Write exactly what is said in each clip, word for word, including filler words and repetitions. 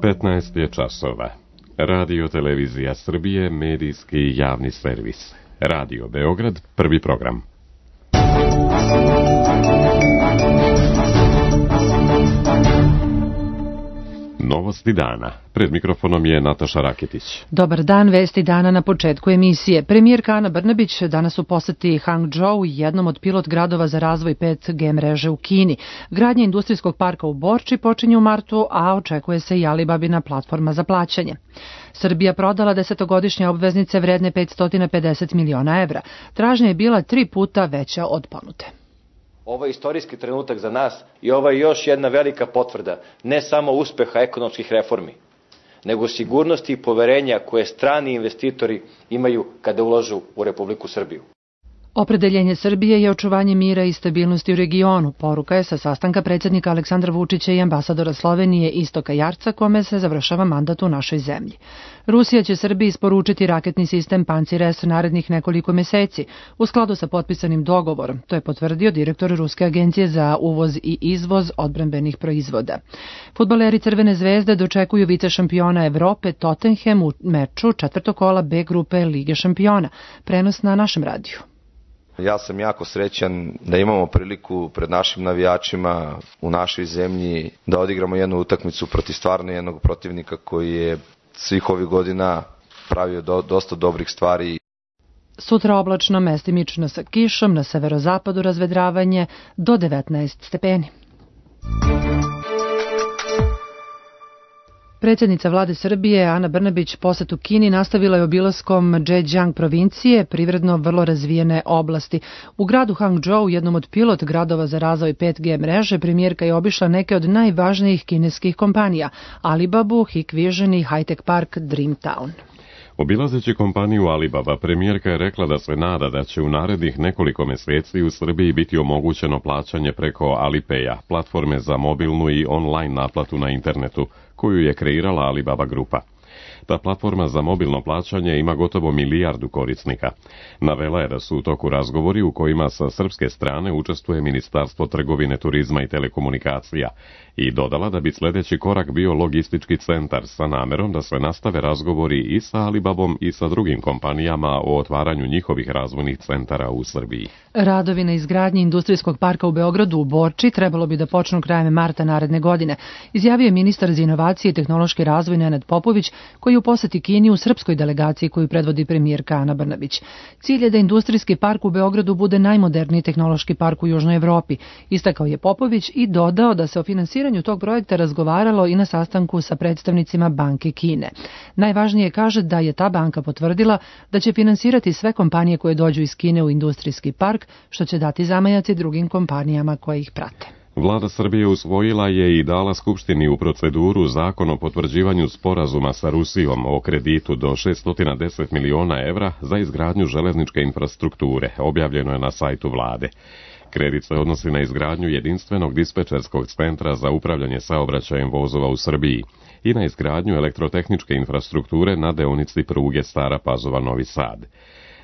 petnaest je časova. Radio Televizija Srbije, medijski javni servis. Radio Beograd, prvi program. Novosti dana. Pred mikrofonom je Nataša Raketić. Dobar dan, vesti dana na početku emisije. Premijerka Ana Brnabić danas u poseti Hangzhou, jednom od pilot gradova za razvoj pet G mreže u Kini. Gradnja industrijskog parka u Borči počinje u martu, a očekuje se i Alibabina platforma za plaćanje. Srbija prodala desetogodišnje obveznice vredne petsto pedeset miliona evra. Tražnja je bila tri puta veća od ponude. Ovo je istorijski trenutak za nas i ovo je još jedna velika potvrda ne samo uspeha ekonomskih reformi, nego sigurnosti i poverenja koje strani investitori imaju kada ulažu u Republiku Srbiju. Opredeljenje Srbije je očuvanje mira i stabilnosti u regionu. Poruka je sa sastanka predsjednika Aleksandra Vučića i ambasadora Slovenije Istoka Jarca, kome se završava mandat u našoj zemlji. Rusija će Srbiji isporučiti raketni sistem Pancir-S narednih nekoliko meseci, u skladu sa potpisanim dogovorom. To je potvrdio direktor Ruske agencije za uvoz i izvoz odbrambenih proizvoda. Fudbaleri Crvene zvezde dočekuju vice šampiona Evrope Tottenham u meču četvrtog kola B grupe Lige šampiona. Prenos na našem radiju. Ja sam jako srećan da imamo priliku pred našim navijačima u našoj zemlji da odigramo jednu utakmicu protiv stvarno jednog protivnika koji je svih ovih godina pravio do, dosta dobrih stvari. Sutra oblačno, mestimično sa kišom, na severozapadu razvedravanje do devetnaest stepeni. Predsjednica vlade Srbije Ana Brnabić posetu Kini nastavila je obilaskom Zhejiang provincije, privredno vrlo razvijene oblasti. U gradu Hangzhou, jednom od pilot gradova za razvoj pet G mreže, premijerka je obišla neke od najvažnijih kineskih kompanija: Alibabu, Hikvision i high-tech park Dreamtown. Obilazeći kompaniju Alibaba, premijerka je rekla da se nada da će u narednih nekoliko meseci u Srbiji biti omogućeno plaćanje preko Alipaya, platforme za mobilnu i online naplatu na internetu, koju je kreirala Alibaba grupa. Ta platforma za mobilno plaćanje ima gotovo milijardu korisnika. Navela je da su u toku razgovori u kojima sa srpske strane učestvuje Ministarstvo trgovine, turizma i telekomunikacija i dodala da bi sljedeći korak bio logistički centar sa namerom da se nastave razgovori i sa Alibabom i sa drugim kompanijama o otvaranju njihovih razvojnih centara u Srbiji. Radovi na izgradnji industrijskog parka u Beogradu u Borči trebalo bi da počnu krajem marta naredne godine, izjavio je ministar za inovacije i tehnološki razvoj Nenad Popović, koji u poseti Kini u srpskoj delegaciji koju predvodi premijerka Ana Brnabić. Cilj je da industrijski park u Beogradu bude najmoderniji tehnološki park u Južnoj Evropi, istakao je Popović i dodao da se o finansiranju tog projekta razgovaralo i na sastanku sa predstavnicima Banke Kine. Najvažnije kaže da je ta banka potvrdila da će finansirati sve kompanije koje dođu iz Kine u industrijski park, što će dati zamajac i drugim kompanijama koje ih prate. Vlada Srbije usvojila je i dala Skupštini u proceduru zakon o potvrđivanju sporazuma sa Rusijom o kreditu do šeststo deset miliona evra za izgradnju železničke infrastrukture, objavljeno je na sajtu vlade. Kredit se odnosi na izgradnju jedinstvenog dispečerskog centra za upravljanje saobraćajem vozova u Srbiji i na izgradnju elektrotehničke infrastrukture na deonici pruge Stara Pazova-Novi Sad.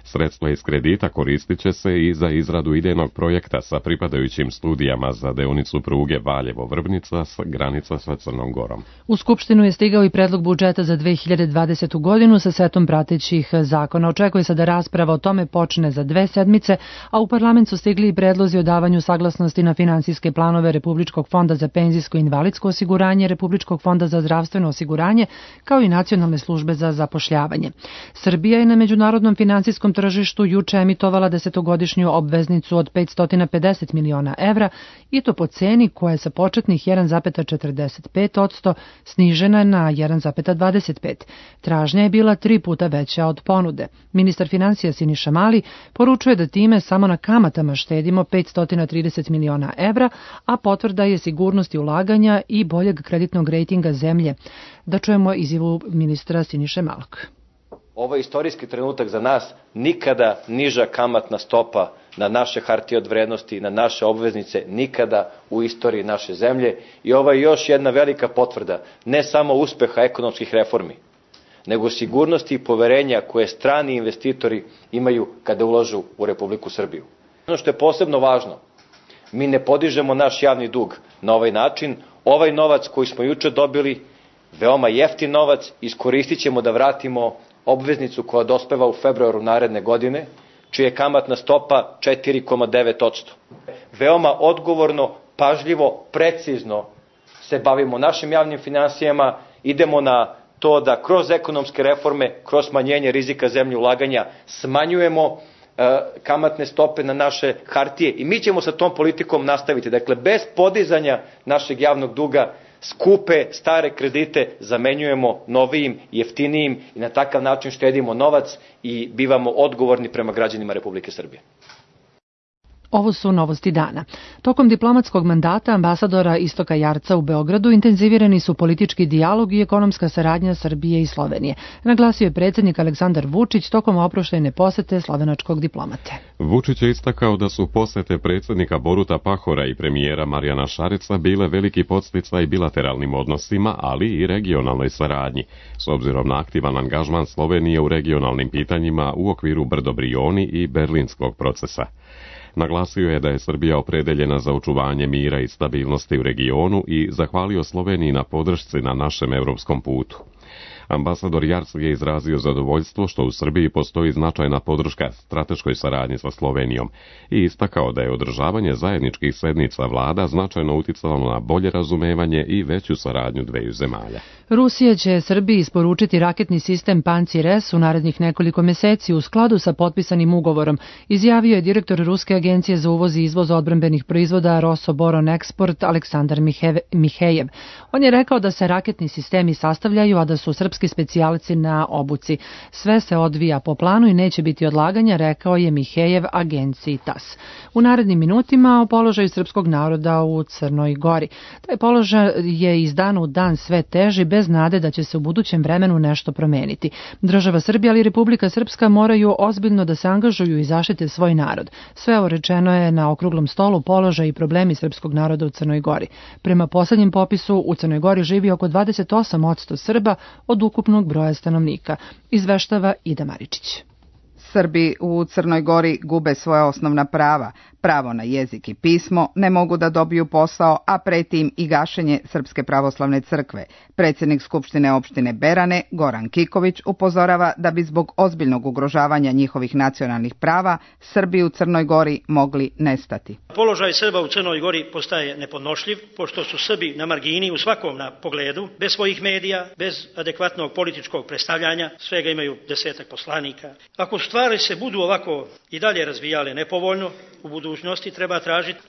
Sredstva iz kredita koristit će se i za izradu idejnog projekta sa pripadajućim studijama za deonicu pruge Valjevo-Vrbnica s granica sa Crnom Gorom. U Skupštinu je stigao i predlog budžeta za dve hiljade dvadesetu godinu sa setom pratećih zakona. Očekuje se da rasprava o tome počne za dve sedmice, a u parlament su stigli i predlozi o davanju saglasnosti na finansijske planove Republičkog fonda za penzijsko i invalidsko osiguranje, Republičkog fonda za zdravstveno osiguranje, kao i Nacionalne službe za zapošljavanje. Srbija je na međunarodnom finansijskom tržištu juče emitovala desetogodišnju obveznicu od petsto pedeset miliona evra i to po ceni koja je sa početnih jedan zarez četrdeset pet posto snižena na jedan zarez dvadeset pet. Tražnja je bila tri puta veća od ponude. Ministar finansija Siniša Mali poručuje da time samo na kamatama štedimo petsto trideset miliona evra, a potvrda je sigurnosti ulaganja i boljeg kreditnog rejtinga zemlje. Da čujemo izjavu ministra Siniše Malog. Ovo je istorijski trenutak za nas, nikada niža kamatna stopa na naše hartije od vrednosti, na naše obveznice, nikada u istoriji naše zemlje i ovo je još jedna velika potvrda ne samo uspeha ekonomskih reformi, nego sigurnosti i poverenja koje strani investitori imaju kada ulažu u Republiku Srbiju. Ono što je posebno važno, mi ne podižemo naš javni dug na ovaj način, ovaj novac koji smo juče dobili veoma jeftin novac, iskoristit ćemo da vratimo obveznicu koja dospeva u februaru naredne godine, čija je kamatna stopa četiri zarez devet posto. Veoma odgovorno, pažljivo, precizno se bavimo našim javnim finansijama, idemo na to da kroz ekonomske reforme, kroz smanjenje rizika zemlje ulaganja smanjujemo e, kamatne stope na naše hartije i mi ćemo sa tom politikom nastaviti. Dakle, bez podizanja našeg javnog duga, skupe, stare kredite zamenjujemo novijim, jeftinijim i na takav način štedimo novac i bivamo odgovorni prema građanima Republike Srbije. Ovo su novosti dana. Tokom diplomatskog mandata ambasadora Istoka Jarca u Beogradu intenzivirani su politički dijalog i ekonomska saradnja Srbije i Slovenije. Naglasio je predsjednik Aleksandar Vučić tokom oproštajne posete slovenačkog diplomate. Vučić je istakao da su posete predsjednika Boruta Pahora i premijera Marijana Šareca bile veliki podsticaj bilateralnim odnosima, ali i regionalnoj saradnji, s obzirom na aktivan angažman Slovenije u regionalnim pitanjima u okviru Brdo-Brioni i Berlinskog procesa. Naglasio je da je Srbija opredeljena za očuvanje mira i stabilnosti u regionu i zahvalio Sloveniji na podršci na našem europskom putu. Ambasador Jarc je izrazio zadovoljstvo što u Srbiji postoji značajna podrška strateškoj saradnji sa Slovenijom i istakao da je održavanje zajedničkih sednica vlada značajno uticalo na bolje razumevanje i veću saradnju dveju zemalja. Rusija će Srbiji isporučiti raketni sistem Pancir S u narednih nekoliko meseci u skladu sa potpisanim ugovorom, izjavio je direktor Ruske agencije za uvoz i izvoz odbrambenih proizvoda Rosoboron Eksport Aleksandar Mihejev. On je rekao da se raketni sistemi sastavljaju, a da su srpski specijalci na obuci. Sve se odvija po planu i neće biti odlaganja, rekao je Mihejev agenciji T A S. U narednim minutima o položaju srpskog naroda u Crnoj Gori. Taj položaj je iz dana u dan sve teži, bez nade da će se u budućem vremenu nešto promeniti. Država Srbija ali i Republika Srpska moraju ozbiljno da se angažuju i zaštite svoj narod. Sve ovo rečeno je na okruglom stolu položaj i problemi srpskog naroda u Crnoj Gori. Prema posljednjem popisu u Crnoj Gori živi oko dvadeset osam posto Srba od ukupnog broja stanovnika, izveštava Ida Maričić. Srbi u Crnoj Gori gube svoja osnovna prava, pravo na jezik i pismo, ne mogu da dobiju posao, a preti im i gašenje Srpske pravoslavne crkve. Predsjednik Skupštine opštine Berane, Goran Kiković, upozorava da bi zbog ozbiljnog ugrožavanja njihovih nacionalnih prava Srbi u Crnoj Gori mogli nestati. Položaj Srba u Crnoj Gori postaje nepodnošljiv, pošto su Srbi na margini u svakom pogledu, bez svojih medija, bez adekvatnog političkog predstavljanja, svega imaju desetak poslanika. Ako stvari se budu ovako i dalje razvijale nepovoljno, u budućnosti treba tražiti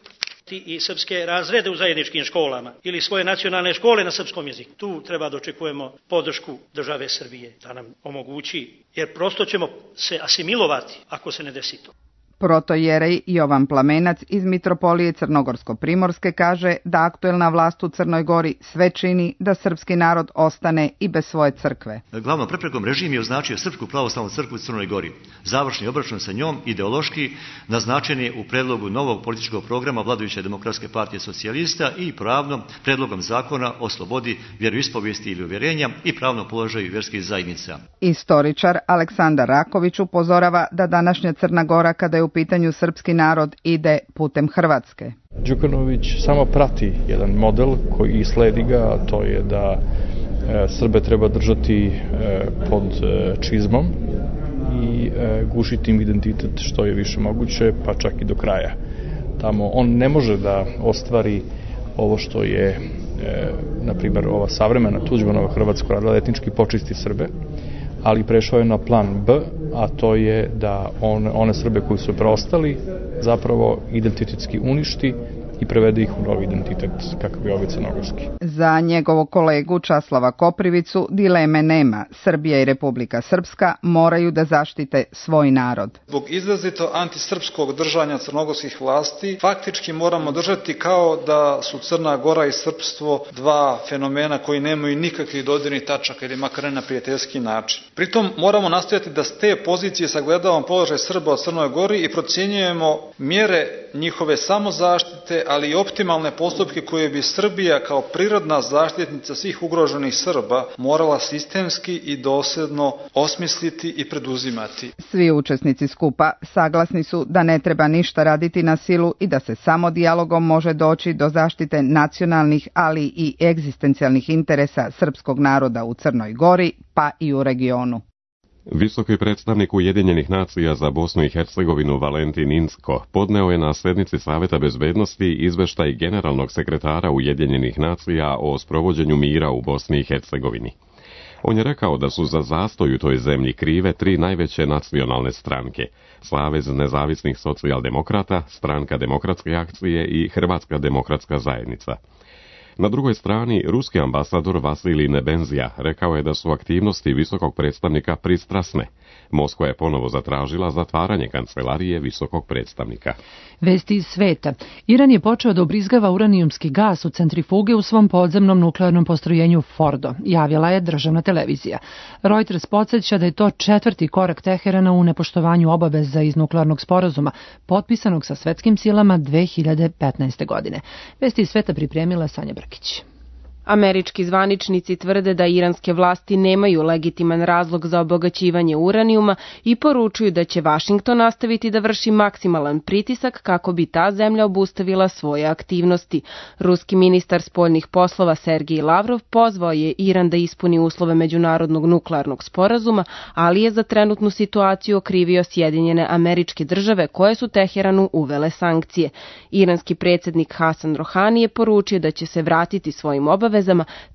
i srpske razrede u zajedničkim školama ili svoje nacionalne škole na srpskom jeziku. Tu treba da očekujemo podršku države Srbije da nam omogući, jer prosto ćemo se asimilovati ako se ne desi to. Protojerej Jovan Plamenac iz Mitropolije Crnogorsko-Primorske kaže da aktuelna vlast u Crnoj Gori sve čini da srpski narod ostane i bez svoje crkve. Glavnom preprekom režim je označio Srpsku pravoslavnu crkvu u Crnoj Gori. Završni obračun sa njom ideološki naznačen je u predlogu novog političkog programa vladajuće Demokratske partije socijalista i pravnom predlogom zakona o slobodi vjeroispovijesti ili uvjerenja i pravnom položaju vjerskih zajednica. Istoričar Aleksandar Raković upozorava da današnja Crna Gora, kada je u pitanju srpski narod, ide putem Hrvatske. Đukanović samo prati jedan model koji sledi ga, a to je da e, Srbe treba držati e, pod e, čizmom i e, gušiti im identitet što je više moguće, pa čak i do kraja. Tamo on ne može da ostvari ovo što je, e, na primjer, ova savremena Tuđmanova Hrvatska radila, etnički počisti Srbe, ali prešao je na plan B, a to je da on, one Srbe koji su preostali zapravo identitetski uništi i prevede ih u novi identitet kakav je ovaj crnogorski. Za njegovog kolegu Časlava Koprivicu dileme nema. Srbija i Republika Srpska moraju da zaštite svoj narod. Zbog izrazito antisrpskog držanja crnogorskih vlasti faktički moramo držati kao da su Crna Gora i srpstvo dva fenomena koji nemaju nikakvih dodirnih tačaka ili makar ne na prijateljski način. Pritom moramo nastojati da s te pozicije sagledavamo položaj Srba u Crnoj Gori i procjenjujemo mjere njihove samozaštite, ali i optimalne postupke koje bi Srbija kao prirodna zaštitnica svih ugroženih Srba morala sistemski i dosljedno osmisliti i preduzimati. Svi učesnici skupa saglasni su da ne treba ništa raditi na silu i da se samo dijalogom može doći do zaštite nacionalnih, ali i egzistencijalnih interesa srpskog naroda u Crnoj Gori, pa i u regionu. Visoki predstavnik Ujedinjenih nacija za Bosnu i Hercegovinu Valentin Inzko podneo je na sednici Saveta bezbednosti izveštaj generalnog sekretara Ujedinjenih nacija o sprovođenju mira u Bosni i Hercegovini. On je rekao da su za zastoj u toj zemlji krive tri najveće nacionalne stranke: Savez nezavisnih socijaldemokrata, Stranka demokratske akcije i Hrvatska demokratska zajednica. Na drugoj strani, ruski ambasador Vasilij Nebenzija rekao je da su aktivnosti visokog predstavnika pristrasne. Moskva je ponovo zatražila zatvaranje kancelarije visokog predstavnika. Vesti iz sveta. Iran je počeo da ubrizgava uranijumski gas u centrifuge u svom podzemnom nuklearnom postrojenju Fordo, javila je državna televizija. Reuters podsjeća da je to četvrti korak Teherana u nepoštovanju obaveza iz nuklearnog sporazuma, potpisanog sa svetskim silama dve hiljade petnaeste. godine. Vesti iz sveta pripremila Sanja Brkić. Američki zvaničnici tvrde da iranske vlasti nemaju legitiman razlog za obogaćivanje uranijuma i poručuju da će Vašington nastaviti da vrši maksimalan pritisak kako bi ta zemlja obustavila svoje aktivnosti. Ruski ministar spoljnih poslova Sergej Lavrov pozvao je Iran da ispuni uslove međunarodnog nuklearnog sporazuma, ali je za trenutnu situaciju okrivio Sjedinjene Američke Države koje su Teheranu uvele sankcije. Iranski predsjednik Hasan Rohani je poručio da će se vratiti svojim obavezama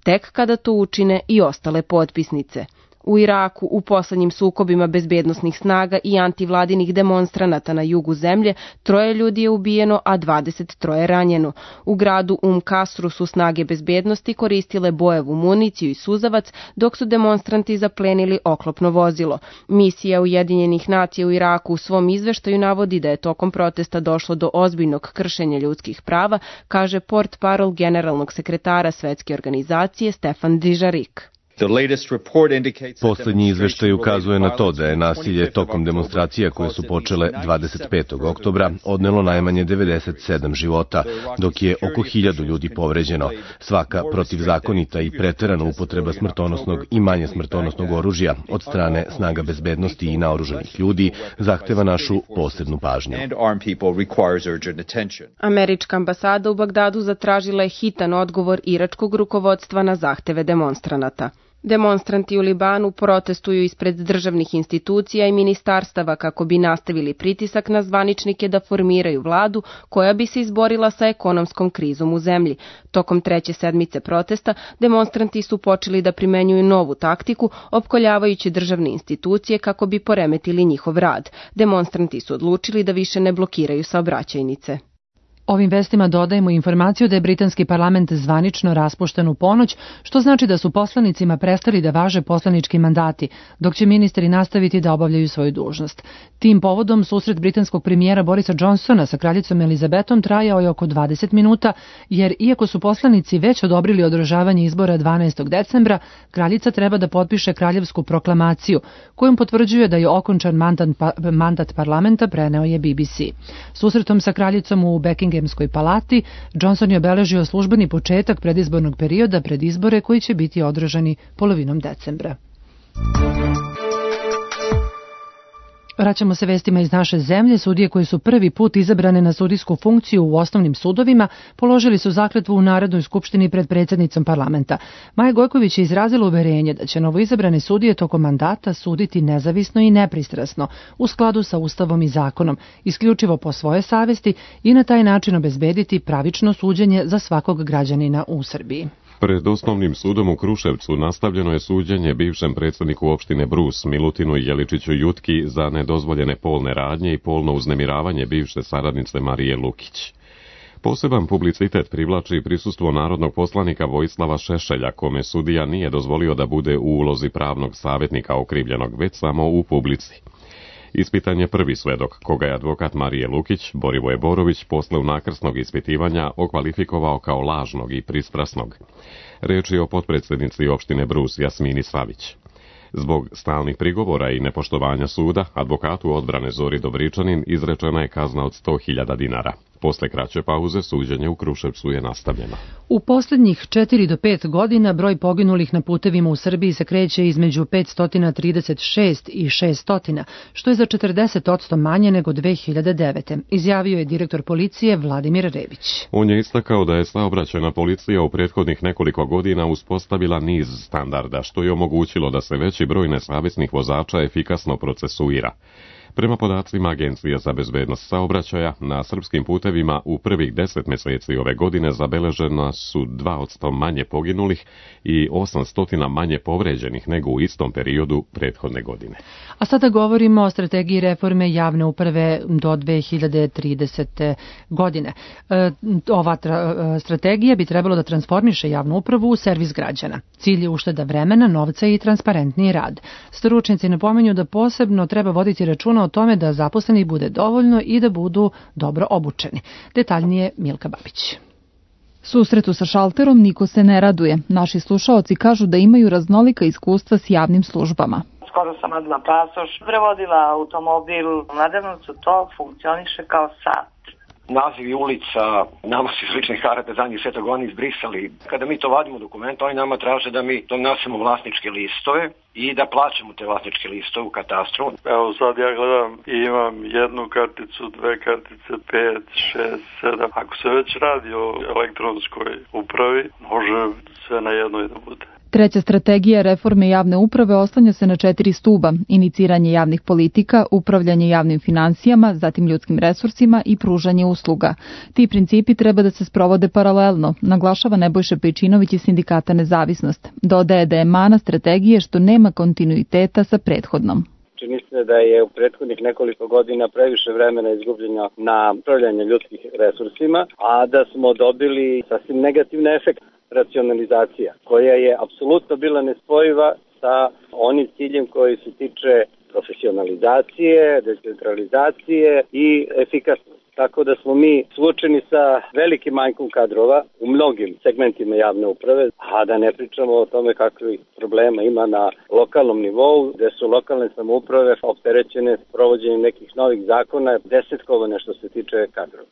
tek kada to učine i ostale potpisnice. U Iraku u poslednjim sukobima bezbednosnih snaga i antivladinih demonstranata na jugu zemlje troje ljudi je ubijeno, a dvadeset troje ranjeno. U gradu Um Kasru su snage bezbednosti koristile bojevu municiju i suzavac, dok su demonstranti zaplenili oklopno vozilo. Misija Ujedinjenih nacija u Iraku u svom izveštaju navodi da je tokom protesta došlo do ozbiljnog kršenja ljudskih prava, kaže portparol generalnog sekretara Svetske organizacije Stefan Dujarric. Poslednji izveštaj ukazuje na to da je nasilje tokom demonstracija koje su počele dvadeset petog oktobra odnelo najmanje devedeset sedam života, dok je oko hiljadu ljudi povređeno. Svaka protivzakonita i preterana upotreba smrtonosnog i manje smrtonosnog oružja od strane snaga bezbednosti i naoružanih ljudi zahteva našu posebnu pažnju. Američka ambasada u Bagdadu zatražila je hitan odgovor iračkog rukovodstva na zahteve demonstranata. Demonstranti u Libanu protestuju ispred državnih institucija i ministarstava kako bi nastavili pritisak na zvaničnike da formiraju vladu koja bi se izborila sa ekonomskom krizom u zemlji. Tokom treće sedmice protesta demonstranti su počeli da primenjuju novu taktiku, opkoljavajući državne institucije kako bi poremetili njihov rad. Demonstranti su odlučili da više ne blokiraju saobraćajnice. Ovim vestima dodajemo informaciju da je britanski parlament zvanično raspušten u ponoć, što znači da su poslanicima prestali da važe poslanički mandati, dok će ministri nastaviti da obavljaju svoju dužnost. Tim povodom susret britanskog premijera Borisa Johnsona sa kraljicom Elizabetom trajao je oko dvadeset minuta, jer iako su poslanici već odobrili održavanje izbora dvanaestog decembra, kraljica treba da potpiše kraljevsku proklamaciju, kojom potvrđuje da je okončan mandat, mandat parlamenta, preneo je B B C. Susretom sa kraljicom u Buckingham palati, Johnson je obeležio službeni početak predizbornog perioda pred izbore koji će biti održani polovinom decembra. Vraćamo se vestima iz naše zemlje. Sudije koji su prvi put izabrane na sudijsku funkciju u osnovnim sudovima položili su zakletvu u Narodnoj skupštini pred predsjednicom parlamenta. Maja Gojković je izrazila uverenje da će novoizabrane sudije tokom mandata suditi nezavisno i nepristrasno u skladu sa Ustavom i zakonom, isključivo po svoje savesti i na taj način obezbediti pravično suđenje za svakog građanina u Srbiji. Pred osnovnim sudom u Kruševcu nastavljeno je suđenje bivšem predsjedniku opštine Brus Milutinu Jeličiću Jutki za nedozvoljene polne radnje i polno uznemiravanje bivše saradnice Marije Lukić. Poseban publicitet privlači prisustvo narodnog poslanika Vojislava Šešelja, kome sudija nije dozvolio da bude u ulozi pravnog savjetnika okrivljenog, već samo u publici. Ispitan je prvi svedok, koga je advokat Marije Lukić, Borivoje Borović, posle unakrsnog ispitivanja okvalifikovao kao lažnog i pristrasnog. Reč je o potpredsjednici opštine Brus Jasmini Savić. Zbog stalnih prigovora i nepoštovanja suda, advokatu odbrane Zori Dobričanin izrečena je kazna od sto hiljada dinara. Posle kraće pauze suđenje u Kruševcu je nastavljeno. U posljednjih četiri do pet godina broj poginulih na putevima u Srbiji se kreće između petsto trideset šest i šesto, što je za četrdeset posto manje nego dve hiljade devete. Izjavio je direktor policije Vladimir Rebić. On je istakao da je saobraćajna policija u prethodnih nekoliko godina uspostavila niz standarda, što je omogućilo da se veći broj nesavesnih vozača efikasno procesuira. Prema podacima Agencije za bezbednost saobraćaja, na srpskim putevima u prvih deset mjeseci ove godine zabeležena su dva posto manje poginulih i osamsto manje povređenih nego u istom periodu prethodne godine. A sada govorimo o strategiji reforme javne uprave do dve hiljade tridesete. godine. E, ova tra, strategija bi trebalo da transformiše javnu upravu u servis građana. Cilj je ušteda vremena, novca i transparentniji rad. Stručnjaci napominju da posebno treba voditi računa o tome da zaposlenih bude dovoljno i da budu dobro obučeni. Detaljnije Milka Babić. Susretu sa šalterom niko se ne raduje. Naši slušaoci kažu da imaju raznolika iskustva s javnim službama. Skoro sam odmah pasoš, prevodila automobil. U Mladenovcu to funkcioniše kao sat. Nazivi ulica, nama su iz ličnih karata zadnjih sveta oni izbrisali. Kada mi to vadimo dokument, oni nama traže da mi donosimo vlasničke listove i da plaćamo te vlasničke listove u katastru. Evo sad ja gledam i imam jednu karticu, dve kartice, pet, šest, sedam. Ako se već radi o elektronskoj upravi, može sve na jednoj da bude. Treća strategija reforme javne uprave oslanja se na četiri stuba: iniciranje javnih politika, upravljanje javnim finansijama, zatim ljudskim resursima i pružanje usluga. Ti principi treba da se sprovode paralelno, naglašava Nebojša Pejčinović iz Sindikata Nezavisnost. Dodaje da je mana strategije što nema kontinuiteta sa prethodnom. Čini se da je u prethodnih nekoliko godina previše vremena izgubljeno na upravljanje ljudskim resursima, a da smo dobili sasvim negativne efekte. Racionalizacija, koja je apsolutno bila nespojiva sa onim ciljem koji se tiče profesionalizacije, decentralizacije i efikasnosti. Tako da smo mi suočeni sa velikim manjkom kadrova u mnogim segmentima javne uprave, a da ne pričamo o tome kakvih problema ima na lokalnom nivou, gde su lokalne samouprave opterećene s provođenjem nekih novih zakona, desetkovane što se tiče kadrova.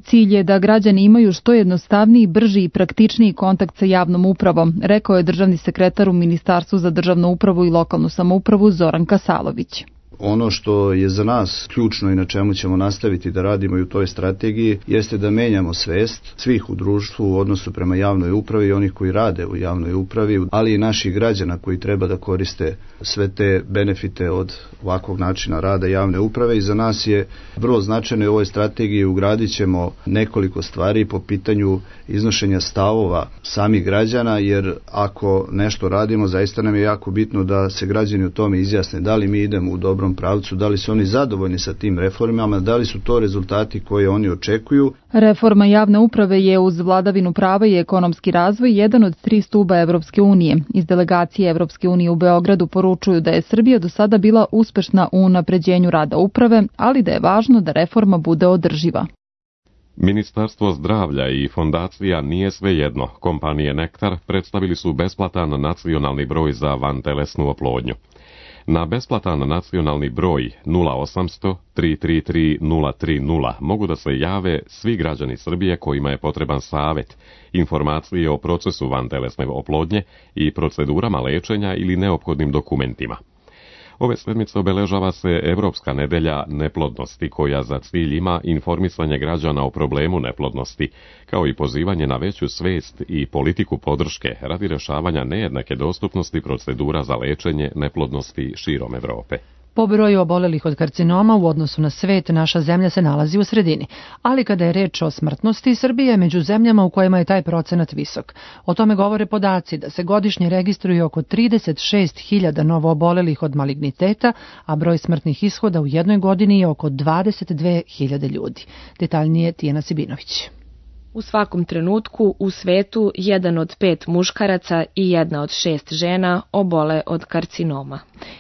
Cilj je da građani imaju što jednostavniji, brži i praktičniji kontakt sa javnom upravom, rekao je državni sekretar u Ministarstvu za državnu upravu i lokalnu samoupravu Zoran Kasalović. Ono što je za nas ključno i na čemu ćemo nastaviti da radimo i u toj strategiji jeste da menjamo svest svih u društvu u odnosu prema javnoj upravi i onih koji rade u javnoj upravi, ali i naših građana koji treba da koriste sve te benefite od ovakvog načina rada javne uprave. I za nas je vrlo značajno i u ovoj strategiji ugradit ćemo nekoliko stvari po pitanju iznošenja stavova samih građana, jer ako nešto radimo, zaista nam je jako bitno da se građani o tome izjasne, da li mi idemo u dobrom pravcu, da li su oni zadovoljni sa tim reformama, da li su to rezultati koje oni očekuju. Reforma javne uprave je uz vladavinu prava i ekonomski razvoj jedan od tri stuba Evropske unije. Iz delegacije Evropske unije u Beogradu poručuju da je Srbija do sada bila uspešna u unapređenju rada uprave, ali da je važno da reforma bude održiva. Ministarstvo zdravlja i fondacija Nije svejedno, kompanije Nektar, predstavili su besplatan nacionalni broj za vantelesnu oplodnju. Na besplatan nacionalni broj nula osamsto tri tri tri nula tri nula mogu da se jave svi građani Srbije kojima je potreban savet, informacije o procesu vantelesne oplodnje i procedurama lečenja ili neophodnim dokumentima. Ove sedmice obeležava se Evropska nedelja neplodnosti, koja za cilj ima informisanje građana o problemu neplodnosti, kao i pozivanje na veću svest i politiku podrške radi rješavanja nejednake dostupnosti procedura za lečenje neplodnosti širom Evrope. Po broju obolelih od karcinoma u odnosu na svet, naša zemlja se nalazi u sredini, ali kada je reč o smrtnosti, Srbija je među zemljama u kojima je taj procenat visok. O tome govore podaci da se godišnje registruje oko trideset šest hiljada novo obolelih od maligniteta, a broj smrtnih ishoda u jednoj godini je oko dvadeset dve hiljade ljudi. Detaljnije Tijana Sibinović. U svakom trenutku u svetu jedan od pet muškaraca i jedna od šest žena obole od karcinoma.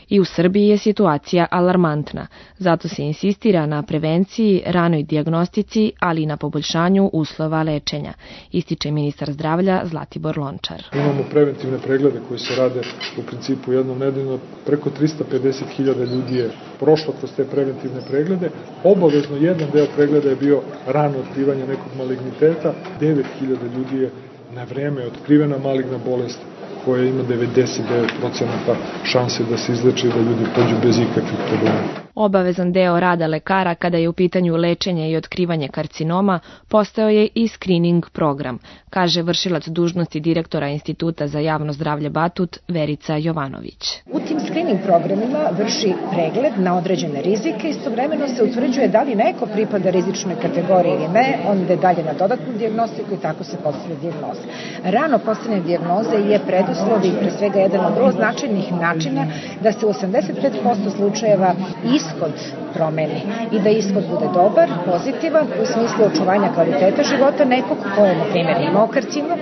I u Srbiji je situacija alarmantna, zato se insistira na prevenciji, ranoj dijagnostici, ali i na poboljšanju uslova lečenja, ističe ministar zdravlja Zlatibor Lončar. Imamo preventivne preglede koji se rade u principu jednom nedeljno. Preko trista pedeset hiljada ljudi je prošlo kroz te preventivne preglede. Obavezno jedan deo pregleda je bio rano otkrivanje nekog maligniteta. devet hiljada ljudi je na vreme otkrivena maligna bolest koja ima devedeset devet procenata šanse da se izleči i da ljudi pođu bez ikakvih problema. Obavezan deo rada lekara kada je u pitanju lečenje i otkrivanje karcinoma postao je i screening program, kaže vršilac dužnosti direktora Instituta za javno zdravlje Batut Verica Jovanović. U tim screening programima vrši pregled na određene rizike, istovremeno se utvrđuje da li neko pripada rizičnoj kategoriji ili ne, onda dalje na dodatnu dijagnostiku i tako se postavlja dijagnoza. Rano postavljanje dijagnoze je preduslov i pre svega jedan od vrlo značajnih načina da se u osamdeset pet posto slučajeva ishod promeni i da ishod bude dobar, pozitivan u smislu očuvanja kvaliteta života nekog ko je, na primjer, imao karcinom,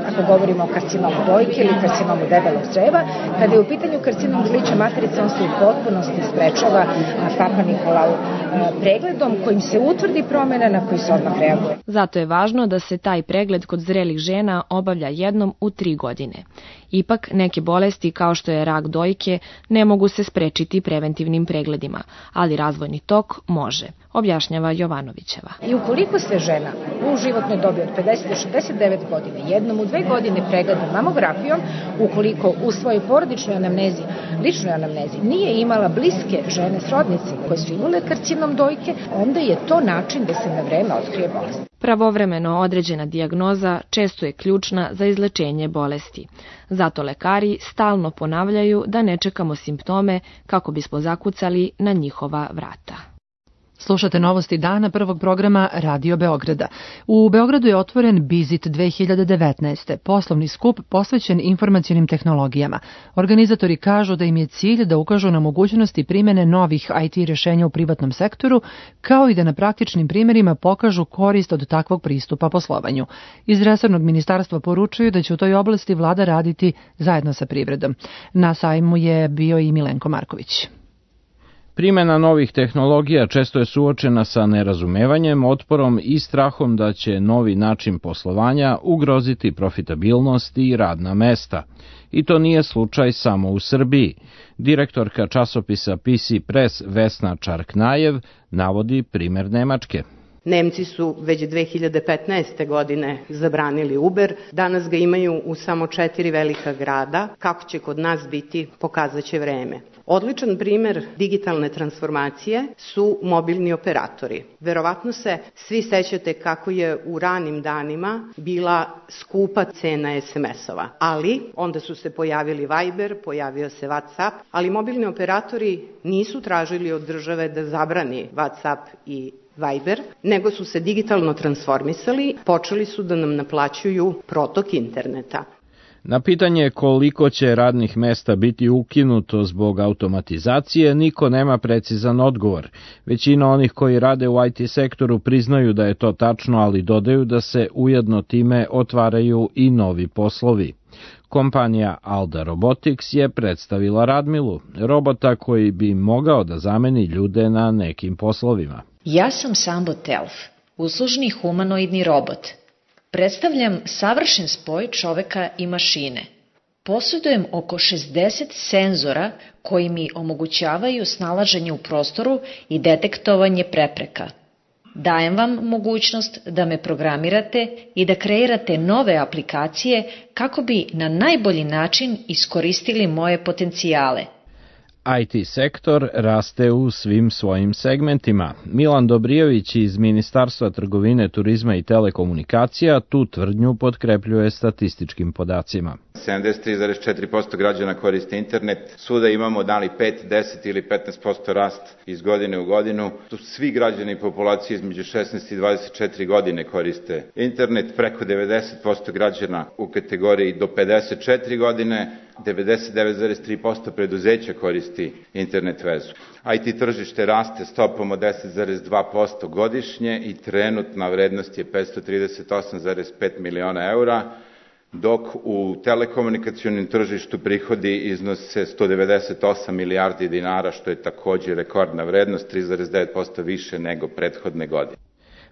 ako govorimo o karcinomu dojke ili karcinomu debelog creva. Kada je u pitanju karcinom grlića materice, on se u potpunosti sprečava Papa Nikolau pregledom kojim se utvrdi promjena na koji se odmah reaguje. Zato je važno da se taj pregled kod zrelih žena obavlja jednom u tri godine. Ipak, neke bolesti kao što je rak dojke ne mogu se sprečiti preventivnim pregledima, ali razvojni tok može, objašnjava Jovanovićeva. I ukoliko se žena u životnoj dobi od pedeset do šezdeset devet godine jednom u dve godine pregleda mamografijom, ukoliko u svojoj porodičnoj anamnezi, ličnoj anamnezi, nije imala bliske žene srodnice koje su imale karcinom dojke, onda je to način da se na vreme otkrije bolest. Pravovremeno određena dijagnoza često je ključna za izlečenje bolesti. Zato lekari stalno ponavljaju da ne čekamo simptome kako bismo zakucali na njihova vrata. Slušate novosti dana prvog programa Radio Beograda. U Beogradu je otvoren Bizit dve hiljade devetnaeste, poslovni skup posvećen informacionim tehnologijama. Organizatori kažu da im je cilj da ukažu na mogućnosti primjene novih I T rješenja u privatnom sektoru, kao i da na praktičnim primjerima pokažu korist od takvog pristupa poslovanju. Iz resornog ministarstva poručuju da će u toj oblasti vlada raditi zajedno sa privredom. Na sajmu je bio i Milenko Marković. Primjena novih tehnologija često je suočena sa nerazumevanjem, otporom i strahom da će novi način poslovanja ugroziti profitabilnost i radna mesta. I to nije slučaj samo u Srbiji. Direktorka časopisa P C Press Vesna Čarknajev navodi primjer Nemačke. Nemci su već dve hiljade petnaeste. godine zabranili Uber, danas ga imaju u samo četiri velika grada. Kako će kod nas biti, pokazat će vreme. Odličan primjer digitalne transformacije su mobilni operatori. Verovatno se svi sećate kako je u ranim danima bila skupa cena es em es-ova, ali onda su se pojavili Viber, pojavio se WhatsApp, ali mobilni operatori nisu tražili od države da zabrani WhatsApp i Viber, nego su se digitalno transformisali, počeli su da nam naplaćuju protok interneta. Na pitanje koliko će radnih mesta biti ukinuto zbog automatizacije, niko nema precizan odgovor. Većina onih koji rade u I T sektoru priznaju da je to tačno, ali dodaju da se ujedno time otvaraju i novi poslovi. Kompanija Alda Robotics je predstavila Radmilu, robota koji bi mogao da zameni ljude na nekim poslovima. Ja sam Sambo Telf, uslužni humanoidni robot. Predstavljam savršen spoj čoveka i mašine. Posjedujem oko šezdeset senzora koji mi omogućavaju snalaženje u prostoru i detektovanje prepreka. Dajem vam mogućnost da me programirate i da kreirate nove aplikacije kako bi na najbolji način iskoristili moje potencijale. I T sektor raste u svim svojim segmentima. Milan Dobrijević iz Ministarstva trgovine, turizma i telekomunikacija tu tvrdnju potkrepljuje statističkim podacima. sedamdeset tri zarez četiri posto građana koriste internet, svuda imamo da li pet, deset ili petnaest posto rast iz godine u godinu. Tu svi građani populacije između šesnaest i dvadeset četiri godine koriste internet, preko devedeset posto građana u kategoriji do pedeset četiri godine, devedeset devet zarez tri posto preduzeća koristi internet vezu. I T tržište raste stopom od deset zarez dva posto godišnje i trenutna vrednost je petsto trideset osam zarez pet miliona eura. dok u telekomunikacionim tržištu prihodi iznose sto devedeset osam milijardi dinara, što je takođe rekordna vrednost, tri zarez devet posto više nego prethodne godine.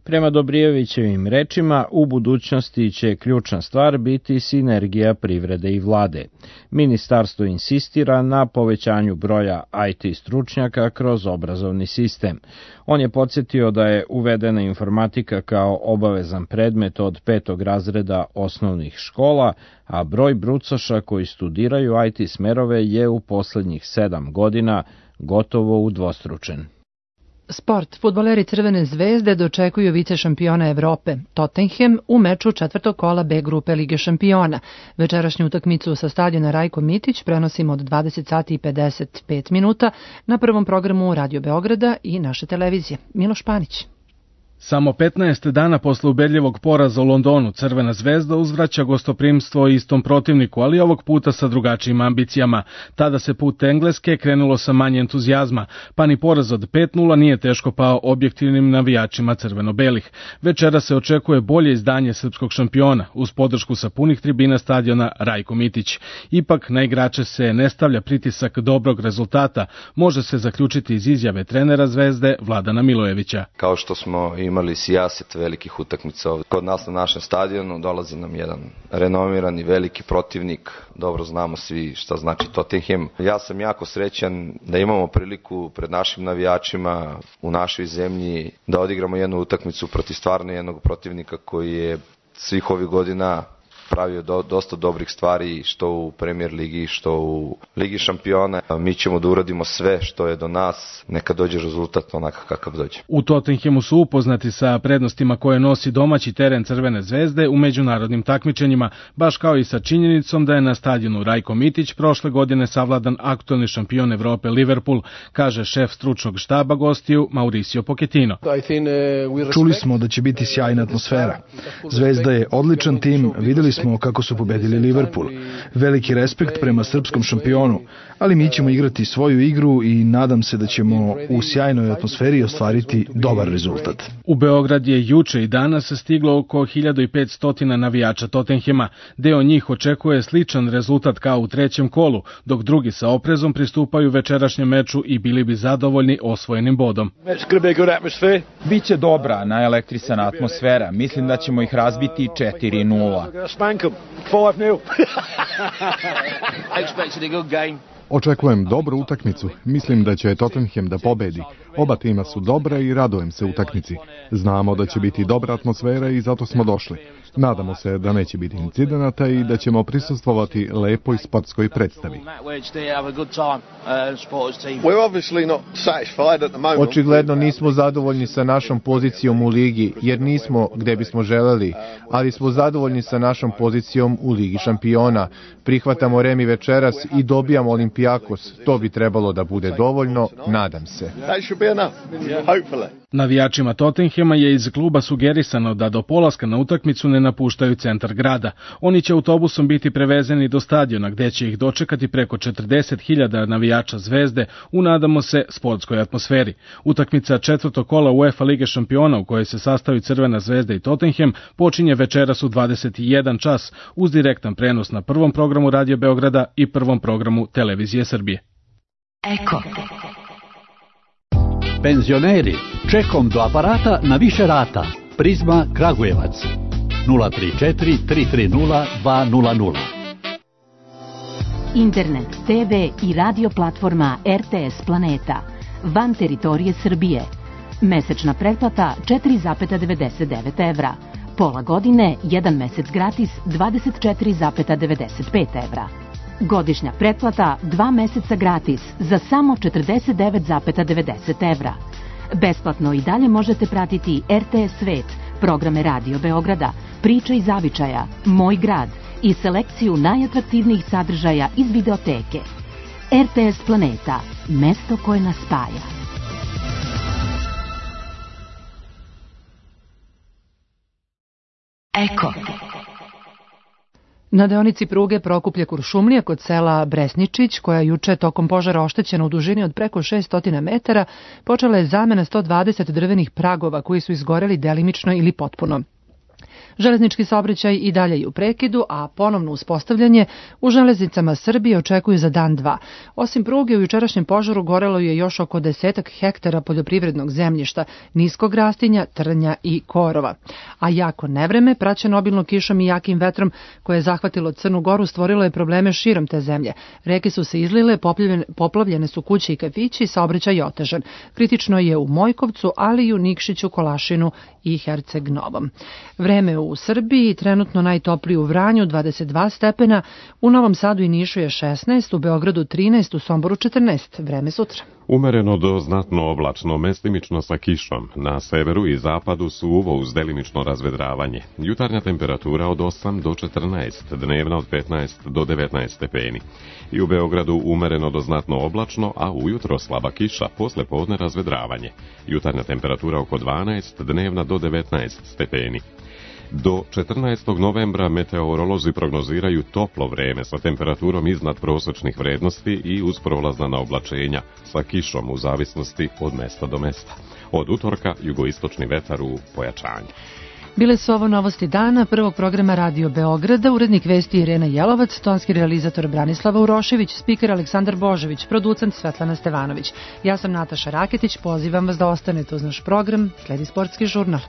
Prema Dobrijevićevim rečima, u budućnosti će ključna stvar biti sinergija privrede i vlade. Ministarstvo insistira na povećanju broja I T stručnjaka kroz obrazovni sistem. On je podsjetio da je uvedena informatika kao obavezan predmet od petog razreda osnovnih škola, a broj brucoša koji studiraju I T smerove je u poslednjih sedam godina gotovo udvostručen. Sport. Fudbaleri Crvene zvezde dočekuju vice šampiona Evrope, Tottenham, u meču četvrtog kola B grupe Lige šampiona. Večerašnju utakmicu sa stadiona Rajko Mitić prenosimo od dvadeset sati i pedeset pet minuta na prvom programu Radio Beograda i naše televizije. Miloš Panić. Samo petnaest dana posle ubedljivog poraza u Londonu Crvena zvezda uzvraća gostoprimstvo istom protivniku, ali ovog puta sa drugačijim ambicijama. Tada se put Engleske krenulo sa manje entuzijazma, pa ni poraz od pet nula nije teško pao objektivnim navijačima crveno-belih. Večera se očekuje bolje izdanje srpskog šampiona, uz podršku sa punih tribina stadiona Rajko Mitić. Ipak na igrače se ne stavlja pritisak dobrog rezultata, može se zaključiti iz izjave trenera Zvezde Vladana Milojevića. Kao što smo imali sijaset velikih utakmica ovdje. Kod nas na našem stadionu dolazi nam jedan renomirani veliki protivnik. Dobro znamo svi šta znači Tottenham. Ja sam jako srećan da imamo priliku pred našim navijačima u našoj zemlji da odigramo jednu utakmicu protiv stvarno jednog protivnika koji je svih ovih godina pravio do, dosta dobrih stvari što u Premier ligi, što u Ligi šampiona. Mi ćemo da uradimo sve što je do nas, neka dođe rezultat onakav kakav dođe. U Tottenhamu su upoznati sa prednostima koje nosi domaći teren Crvene zvezde u međunarodnim takmičenjima, baš kao i sa činjenicom da je na stadionu Rajko Mitić prošle godine savladan aktuelni šampion Evrope Liverpool, kaže šef stručnog štaba gostiju Mauricio Pochettino. Čuli smo da će biti sjajna atmosfera. Zvezda je odličan tim, videli smo kako su pobedili Liverpool. Veliki respekt prema srpskom šampionu, ali mi ćemo igrati svoju igru i nadam se da ćemo u sjajnoj atmosferi ostvariti dobar rezultat. U Beograd je juče i danas stiglo oko hiljadu petsto navijača Tottenhama. Deo njih očekuje sličan rezultat kao u trećem kolu, dok drugi sa oprezom pristupaju večerašnjem meču i bili bi zadovoljni osvojenim bodom. Biće dobra, naelektrisana atmosfera. Mislim da ćemo ih razbiti četiri nula. Očekujem dobru utakmicu. Mislim da će Tottenham da pobedi. Oba tima su dobre i radujem se utakmici. Znamo da će biti dobra atmosfera i zato smo došli. Nadamo se da neće biti incidenata i da ćemo prisustvovati lepoj sportskoj predstavi. Očigledno nismo zadovoljni sa našom pozicijom u ligi, jer nismo gde bismo želeli, ali smo zadovoljni sa našom pozicijom u Ligi šampiona. Prihvatamo remi večeras i dobijamo Olimpijakos. To bi trebalo da bude dovoljno, nadam se. Navijačima Tottenhama je iz kluba sugerisano da do polaska na utakmicu ne napuštaju centar grada. Oni će autobusom biti prevezeni do stadiona gde će ih dočekati preko četrdeset hiljada navijača Zvezde u, nadamo se, sportskoj atmosferi. Utakmica četvrtog kola UEFA Lige šampiona u kojoj se sastavi Crvena zvezda i Tottenham počinje večeras u dvadeset jedan čas uz direktan prenos na prvom programu Radio Beograda i prvom programu Televizije Srbije. Eko. Penzioneri, čekom do aparata na više rata. Prizma Kragujevac. nula tri četiri tri tri nula dva nula nula. Internet, te ve i radio platforma er te es Planeta. Van teritorije Srbije. Mesečna pretplata četiri zarez devedeset devet evra. Pola godine, jedan mesec gratis dvadeset četiri zarez devedeset pet evra. Godišnja pretplata dva meseca gratis za samo četrdeset devet zarez devedeset evra. Besplatno i dalje možete pratiti er te es Svet, programe Radio Beograda, Priče i zavičaja, Moj grad i selekciju najatraktivnijih sadržaja iz videoteke. er te es Planeta, mesto koje nas spaja. Eko. Na deonici pruge Prokuplje-Kuršumlija kod sela Bresničić, koja je juče tokom požara oštećena u dužini od preko šesto metara, počela je zamena sto dvadeset drvenih pragova koji su izgoreli delimično ili potpuno. Železnički saobraćaj i dalje je u prekidu, a ponovno uspostavljanje u železnicama Srbije očekuju za dan dva. Osim pruge, u jučerašnjem požaru gorelo je još oko desetak hektara poljoprivrednog zemljišta, niskog rastinja, trnja i korova. A jako nevreme, praćeno obilno kišom i jakim vetrom koje je zahvatilo Crnu Goru, stvorilo je probleme širom te zemlje. Reke su se izlile, poplavljene, poplavljene su kuće i kafići i saobraćaj je otežan. Kritično je u Mojkovcu, ali i u Nikšiću, Kolašinu i Herceg Novom. Vreme u Srbiji trenutno najtoplije u Vranju dvadeset dva stepena, u Novom Sadu i Nišu je šesnaest, u Beogradu trinaest, u Somboru četrnaest. Vreme sutra. Umereno do znatno oblačno, mestimično sa kišom. Na severu i zapadu suvo uz delimično razvedravanje. Jutarnja temperatura od osam do četrnaest, dnevna od petnaest do devetnaest stepeni. I u Beogradu umereno do znatno oblačno, a ujutro slaba kiša, posle podne razvedravanje. Jutarnja temperatura oko dvanaest, dnevna do devetnaest stepeni. Do četrnaestog novembra meteorolozi prognoziraju toplo vreme sa temperaturom iznad prosečnih vrednosti i uz prolazna oblačenja sa kišom u zavisnosti od mesta do mesta. Od utorka jugoistočni vetar u pojačanju. Bile su ovo novosti dana prvog programa Radio Beograda, urednik vesti Irena Jelovac, tonski realizator Branislava Urošević, spiker Aleksandar Božović, producent Svetlana Stevanović. Ja sam Nataša Raketić, pozivam vas da ostanete uz naš program, sledi sportski žurnal.